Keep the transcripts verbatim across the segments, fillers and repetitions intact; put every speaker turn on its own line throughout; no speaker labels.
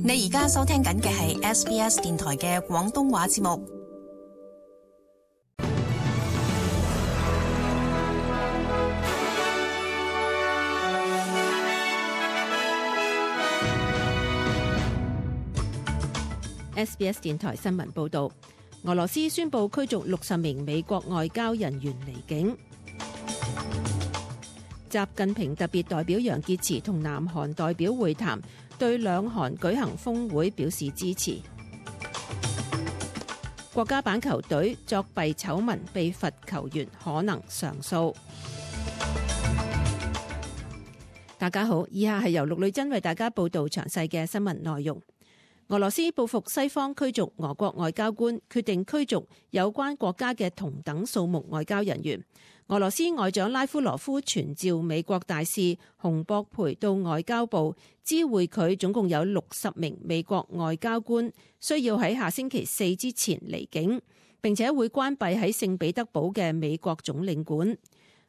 你而家收聽緊嘅係 S B S 電台嘅廣東話節目。
S B S 電台新聞報道，俄羅斯宣布驅逐六十名美國外交人員離境。習近平特別代表楊潔篪同南韓代表會談，對兩韓舉行峰會表示支持。國家板球隊作弊醜聞被罰球員可能上訴。大家好，以下係由陸女珍為大家報道詳細嘅新聞內容。俄羅斯報復西方驅逐俄國外交官，決定驅逐有關國家嘅同等數目外交人員。俄羅斯外長拉夫羅夫傳召美國大使洪博培到外交部知會佢，總共有六十名美國外交官需要喺下星期四之前離境，並且會關閉喺聖彼得堡嘅美國總領館。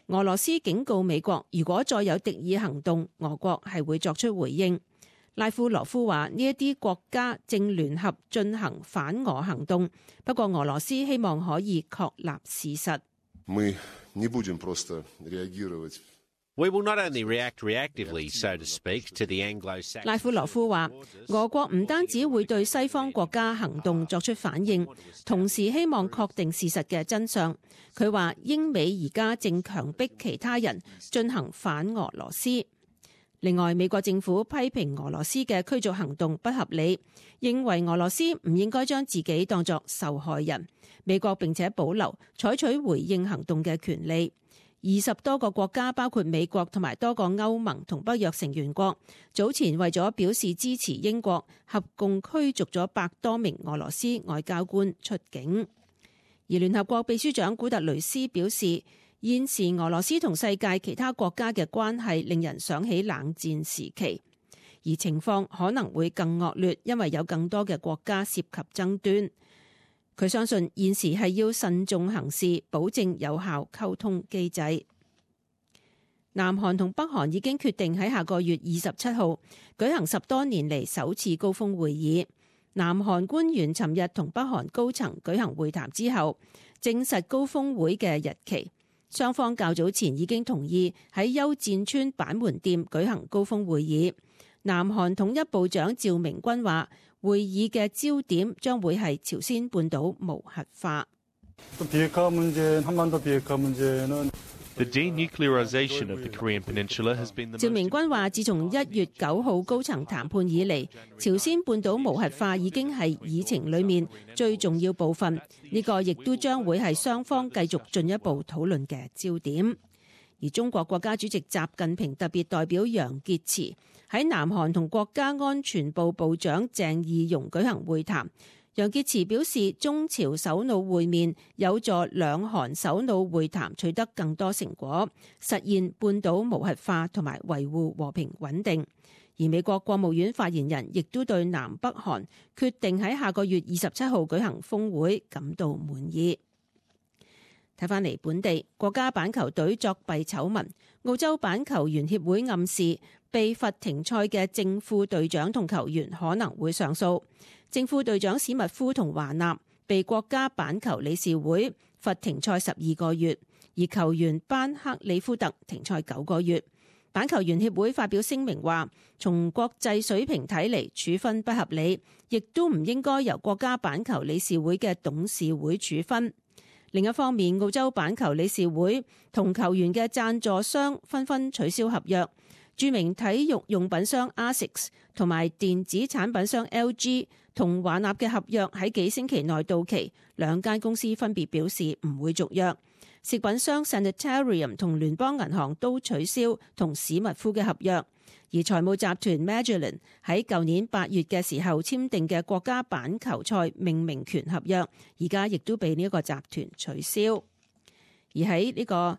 俄羅斯警告美國，如果再有敵意行動，俄國係會作出回應。拉夫羅夫話：呢一啲國家正聯合進行反俄行動，不過俄羅斯希望可以確立事實。
Мы не будем просто реагировать.
We will not only react reactively, so to speak, to the Anglo-Saxon.
拉夫羅夫話：俄國唔單止會對西方國家行動作出反應，同時希望確定事實嘅真相。佢話英美而家正強迫其他人進行反俄羅斯。另外，美國政府批評俄羅斯嘅驅逐行動不合理，認為俄羅斯唔應該將自己當作受害人。美國並且保留採取回應行動嘅權利。二十多個國家，包括美國同埋多個歐盟同北約成員國，早前為咗表示支持英國，合共驅逐咗百多名俄羅斯外交官出境。而聯合國秘書長古特雷斯表示，現時俄羅斯同世界其他國家嘅關係令人想起冷戰時期，而情況可能會更惡劣，因為有更多嘅國家涉及爭端。佢相信現時係要慎重行事，保證有效溝通機制。南韓同北韓已經決定喺下個月二十七號舉行十多年嚟首次高峰會議。南韓官員尋日同北韓高層舉行會談之後，證實高峰會嘅日期。雙方較早前已經同意喺休戰村板門店舉行高峰會議。南韓統一部長趙明軍話，會議嘅焦點將會係朝鮮半島無核化。
The denuclearization of the Korean Peninsula has been the most...
趙明軍話，自從一月九號高層談判以嚟，朝鮮半島無核化已經係議程裡面最重要部分。呢個亦都將會係雙方繼續進一步討論嘅焦點。而中國國家主席習近平特別代表楊潔篪喺南韓同國家安全部部長鄭義溶舉行會談。楊潔篪表示，中朝首腦會面有助兩韓首腦會談取得更多成果，實現半島無核化同埋維護和平穩定。而美國國務院發言人亦都對南北韓決定喺下個月二十七號舉行峰會感到滿意。睇返嚟本地，國家板球隊作弊醜聞，澳洲板球員協會暗示被罰停賽嘅正副隊長同球員可能會上訴。正副隊長史密夫同華納被國家板球理事會罰停賽十二個月，而球員班克里夫特停賽九個月。板球員協會發表聲明話，從國際水平睇嚟，處分不合理，亦都唔應該由國家板球理事會嘅董事會處分。另一方面，澳洲板球理事會同球員嘅贊助商紛紛取消合約。著名體育用品商 Asics 同埋電子產品商 L G 同華納嘅合約喺幾星期內到期，兩間公司分別表示唔會續約。食品商 Sanitarium 同聯邦銀行都取消同史密夫嘅合約，而財務集團 Magellan 喺舊年八月嘅時候簽訂嘅國家板球賽命名權合約，而家亦都被呢一個集團取消。而喺呢個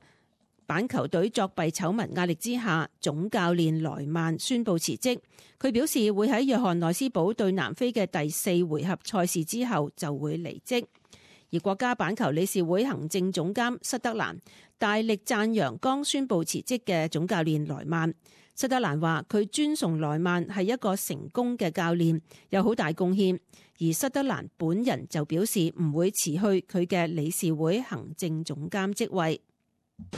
板球隊作弊醜聞壓力之下，總教練萊曼宣布辭職。佢表示會喺約翰內斯堡對南非嘅第四回合賽事之後就會離職。而國家板球理事會行政總監施德蘭大力讚揚剛宣布辭職嘅總教練萊曼。塞德蘭話佢尊崇萊曼係一個成功嘅教練，有好大貢獻，而塞德蘭本人就表示唔會辭去佢嘅理事會行政總監職位。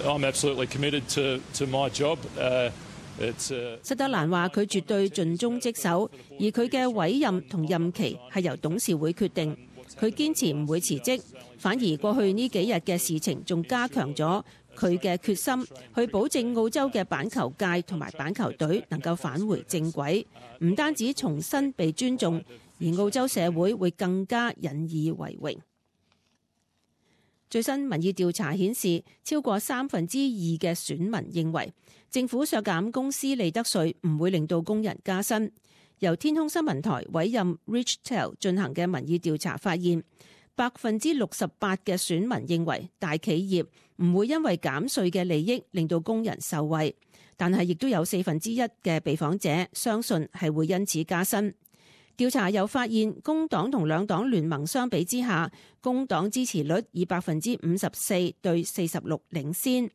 I'm absolutely committed to, to my job. Uh, it's, uh...
塞德蘭話佢絕對盡忠職守，而佢嘅委任同任期係由董事會決定。佢堅持唔會辭職，反而過去呢幾日嘅事情仲加強咗佢嘅決心，去保證澳洲嘅板球界同埋板球隊能夠返回正軌，唔單止重新被尊重，而澳洲社會會更加引以為榮。最新民意調查顯示，超過三分之二嘅選民認為政府削減公司利得稅唔會令到工人加薪。由天空新聞台委任 Richtel 進行嘅民意調查發現，百分之六十八嘅選民認為大企業唔會因為減稅嘅利益令到工人受惠，但係亦都有四分之一嘅被訪者相信係會因此加薪。調查又發現，工黨同兩黨聯盟相比之下，工黨支持率以百分之五十四對四十六領先。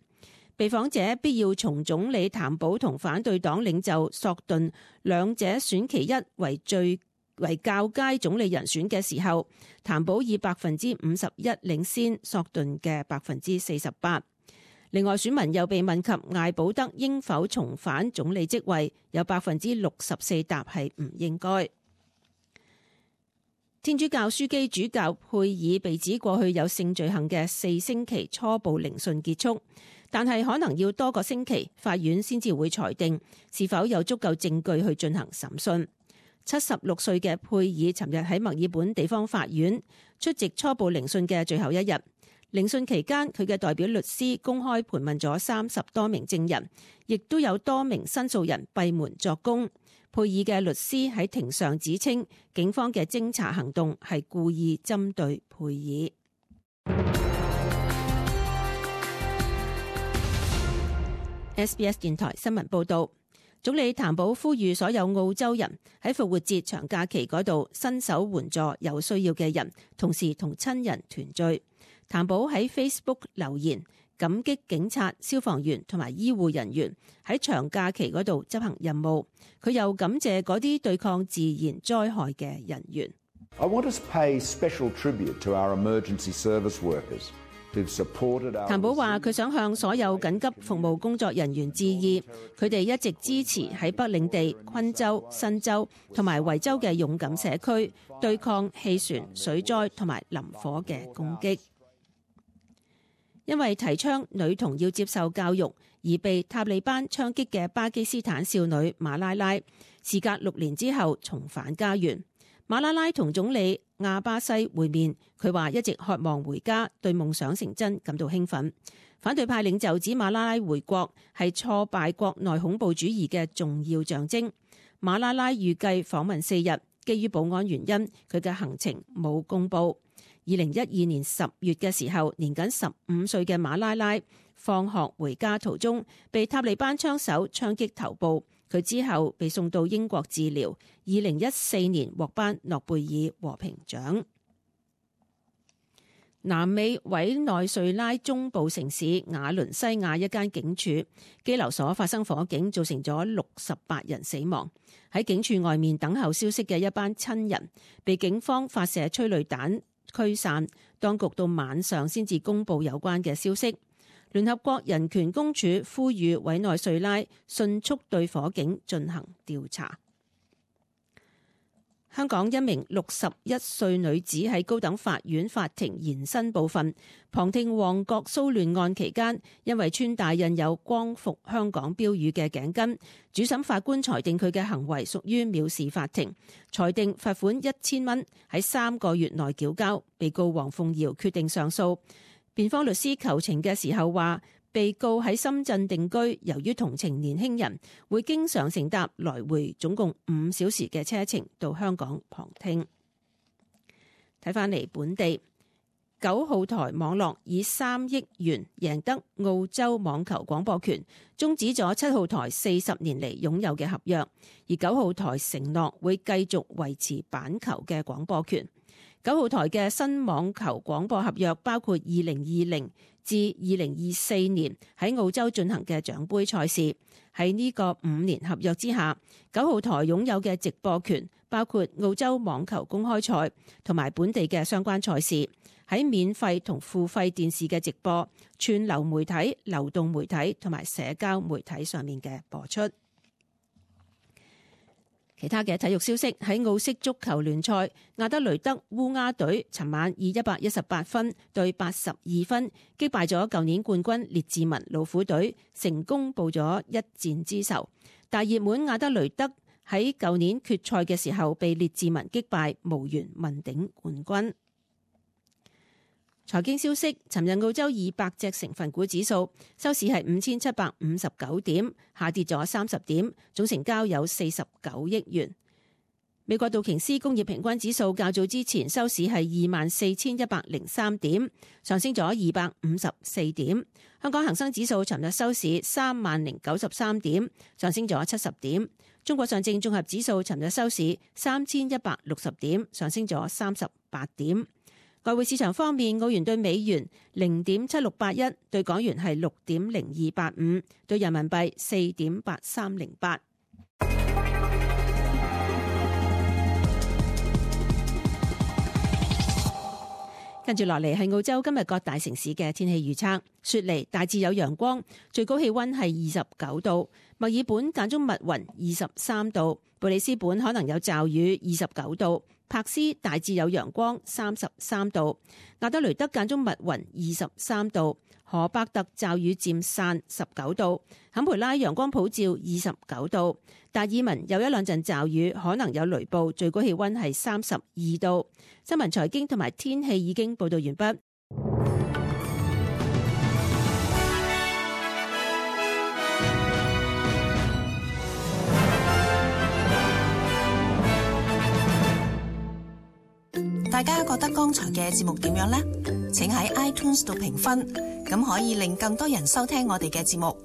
被訪者必要從總理譚寶同反對黨領袖索頓兩者選其一為最為較佳總理人選嘅時候，譚寶以百分之五十一領先索頓嘅百分之四十八。另外，選民又被問及艾保德應否重返總理職位，有百分之六十四答係唔應該。天主教樞機主教佩爾被指過去有性罪行嘅四星期初步聆訊結束，但係可能要多個星期，法院先至會裁定是否有足夠證據去進行審訊。七十六歲嘅佩爾尋日喺墨爾本地方法院出席初步聆訊嘅最後一日。聆訊期間，佢嘅代表律師公開盤問咗三十多名證人，亦都有多名申訴人閉門作供。佩爾嘅律師喺庭上指稱，警方嘅偵查行動係故意針對佩爾。S B S 電台新聞報道，總理譚寶呼籲所有澳洲人喺復活節長假期嗰度伸手援助有需要嘅人，同時同親人團聚。譚寶喺 Facebook 留言，感激警察、消防員同埋醫護人員喺長假期嗰度執行任務。佢又感謝嗰啲對抗自然災害嘅人員。
I want to pay special tribute to our emergency service workers who've supported our...
譚寶話佢想向所有緊急服務工作人員致意，佢哋一直支持喺北領地、昆州、新州同埋維州嘅勇敢社區對抗氣旋、水災同埋林火嘅攻擊。因為提倡女童要接受教育而被塔利班槍擊嘅巴基斯坦少女馬拉拉，事隔六年之後重返家園。馬拉拉同總理亞巴西會面，佢話一直渴望回家，對夢想成真感到興奮。反對派領袖指馬拉拉回國係挫敗國內恐怖主義嘅重要象徵。馬拉拉預計訪問四日，基於保安原因，佢嘅行程冇公佈。二零一二年十月嘅時候，年僅十五歲嘅馬拉拉放學回家途中被塔利班槍手槍擊頭部，佢之後被送到英國治療。二零一四年獲頒諾貝爾和平獎。南美委內瑞拉中部城市瓦倫西亞一間警署羈留所發生火警，造成咗六十八人死亡。喺警署外面等候消息嘅一班親人被警方發射催淚彈驅散，當局到晚上先至公布有關嘅消息。聯合國人權公署呼籲委內瑞拉迅速對火警進行調查。香港一名六十一歲女子喺高等法院法庭延伸部分旁聽旺角騷亂案期間，因為穿戴印有光復香港標語嘅頸巾，主審法官裁定佢嘅行為屬於藐視法庭，裁定罰款一千蚊，喺三個月內繳交。被告黃鳳瑤決定上訴。辯方律師求情嘅時候話，被告喺深圳定居，由於同情年輕人，會經常乘搭來回總共五小時嘅車程到香港旁聽。睇返嚟本地，九號台網絡以三億元贏得澳洲網球廣播權，終止咗七號台四十年嚟擁有嘅合約，而九號台承諾會繼續維持板球嘅廣播權。九號台嘅新網球廣播合約包括二零二零至二零二四年喺澳洲進行嘅獎盃賽事。喺呢個五年合約之下，九號台擁有嘅直播權包括澳洲網球公開賽同埋本地嘅相關賽事，喺免費同付費電視嘅直播、串流媒體、流動媒體同埋社交媒體上面嘅播出。其他嘅體育消息，喺澳式足球聯賽，亞德雷德烏鴉隊尋晚以一百一十八分對八十二分擊敗咗舊年冠軍列治文老虎隊，成功報咗一戰之仇。大熱門亞德雷德喺舊年決賽嘅時候被列治文擊敗，無緣問鼎冠軍。財經消息，尋日澳洲二百隻成分股指數收市係五千七百五十九點，下跌咗三十點，總成交有四十九億元。美國道瓊斯工業平均指數較早之前收市係二萬四千一百零三點，上升咗二百五十四點。香港恒生指數尋日收市三萬零九十三點，上升咗七十點。中國上證綜合指數尋日收市三千一百六十點，上升咗三十八點。外匯市場方面，澳元對美元零點七六八一，對港元係六點零二八五，對人民幣四點八三零八。跟住落嚟係澳洲今日各大城市嘅天氣預測：雪梨大致有陽光，最高氣温係二十九度；墨爾本間中密雲，二十三度；布里斯本可能有驟雨，二十九度。柏斯大致有陽光，三十三度；亞德雷德間中密雲，二十三度；荷伯特驟雨漸散，十九度；坎培拉陽光普照，二十九度；達爾文有一兩陣驟雨，可能有雷暴，最高氣溫係三十二度。新聞財經同埋天氣已經報道完畢。
大家覺得剛才嘅節目點樣呢？請喺 iTunes 度評分，咁可以令更多人收聽我哋嘅節目。